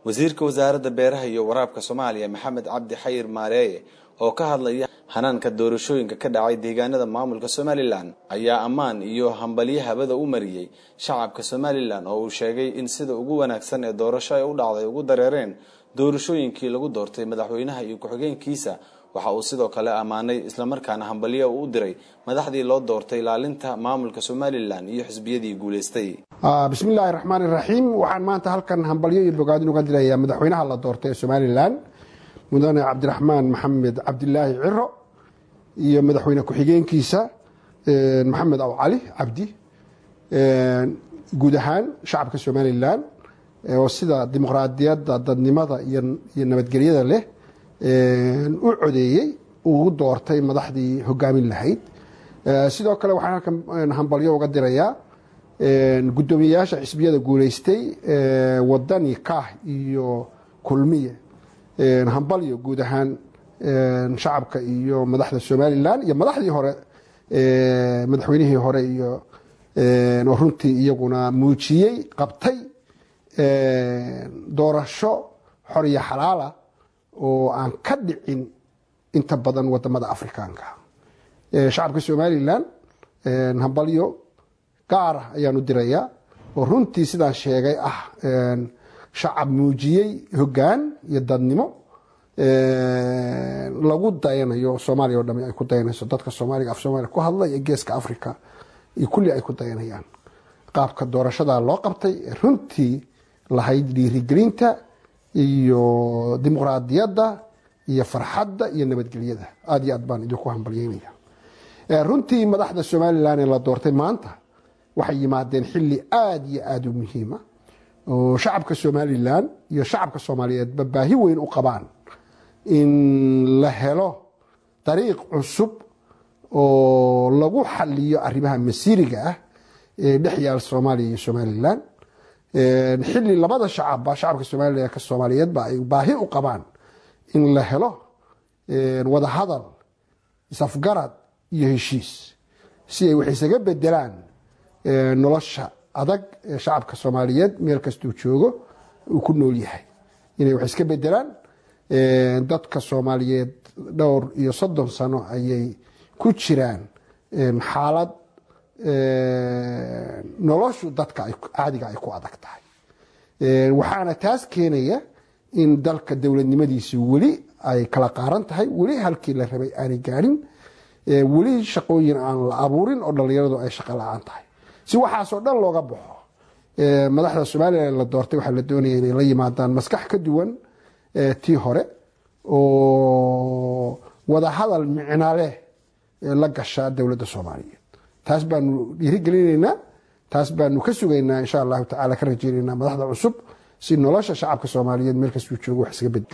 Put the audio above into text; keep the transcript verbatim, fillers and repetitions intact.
Wasiirka Wasaaradda Beeraha iyo Waraabka Soomaaliya, Maxamed Cabdi Xayir Maareeye, oo ka hadlaya hanaanka doorashooyinka ka dhacay deegaanada maamulka Somalilan, ayaa ammaan iyo hambalyo habada u mariyey shacabka Somalilan, oo uu sheegay in sida ugu wanaagsan ee doorasho ay u dhacday ugu dareereen doorashooyinkii lagu doortay madaxweynaha iyo ku-xigeenkiisa. Waxa uu sidoo kale ammaanay islamarkaana hambalyo uu u diray madaxdii loo doortay ilaalinta maamulka Somalilan iyo xisbiyadii guulaystay. Bismi illaahi raxmaan iraxiim. Waxaan maanta halkan hambalyo iyo bogaadin uga dirayaa madaxweynaha la doortay ee Somalilan, mudane Cabdiraxmaan Maxamed Cabdilaahi Ciro, iyo madaxweyne ku-xigeenkiisa Maxamed Aw Cali Cabdi, guud ahaan shacabka Somalilan oo sida dimuqraadiyadda, dadnimada iyo nabadgelyada leh u codeeyey, ugu doortay madaxdii hogaamin lahayd. Sidoo kale waxaan halkan hambalyo uga dirayaa guddoomiyeyaasha xisbiyada guuleystay, Wadani, Kaah iyo Kulmiye. Hambalyo guud ahaan shacabka iyo madaxda Somalilan iyo madaxdii hore, madaxweynihii hore iyo oo runtii iyaguna muujiyey, qabtay doorasho xor iyo xalaala oo aan ka dhicin inta badan wadamada Afrikaanka. Shacabka Somalilan hambalyo gaara ayaanu dirayaa, oo runtii sidaan sheegay ah shacab muujiyey hoggaan iyo dadnimo lagu dayanayo, Soomaaliya o dhami ay ku dayanayso, dadka Soomaaliga, af Soomaaliya ku hadla iyo Geeska Africa iyo kulli ay ku dayanayaan qaabka doorashada loo qabtay, runtii lahayd dhiirigelinta iyo dimuqraadiyadda iyo farxadda iyo nabadgelyada. Aad iyo aad baan idinku hambalyeynaya. Runtii madaxda Somalilan ee la doortay maanta waxay yimaadeen xilli aada iyo aada u muhiima oo shacabka Somalilan iyo shacabka Soomaaliyeedba baahi weyn u qabaan in la helo dariiq cusub oo lagu xaliyo arrimaha masiiriga ah ee dhex yaal Soomaaliya iyo Somalilan, xilli labada shacabba, shacabka Somalilan ka Soomaaliyeedba, ay baahi u qabaan in la helo wadahadal, isafgarad iyo heshiis si ay wax isaga bedelaan nolosha adag ee shacabka Soomaaliyeed meel kastuu joogo uu ku nool yahay, inay wax iska bedelaan. Dadka Soomaaliyeed dhowr iyo soddon sano ayay ku jiraan xaalad noloshu dadka caadiga ay ku adag tahay, waxaana taas keenaya in dalka dowladnimadiisi weli ay kala qaaran tahay, weli halkii la rabay aanay gaadhin, weli shaqooyin aan la abuurin oo dhallinyaradu ay shaqo la-aan tahay. Si waxaasoo dhan looga baxo, madaxda Somalilan la doortay waxaa la doonaya inay la yimaadaan maskax ka duwan tii hore oo wadahadal micna leh la gasha dowladda Soomaaliyeed. Taas baanu dhiirigelinaynaa, taas baanu ka sugaynaa, insha Allahu tacala ka rajaynaynaa madaxda cusub, si nolosha shacabka Soomaaliyeed meel kastuu joogo wax iskaga bedel.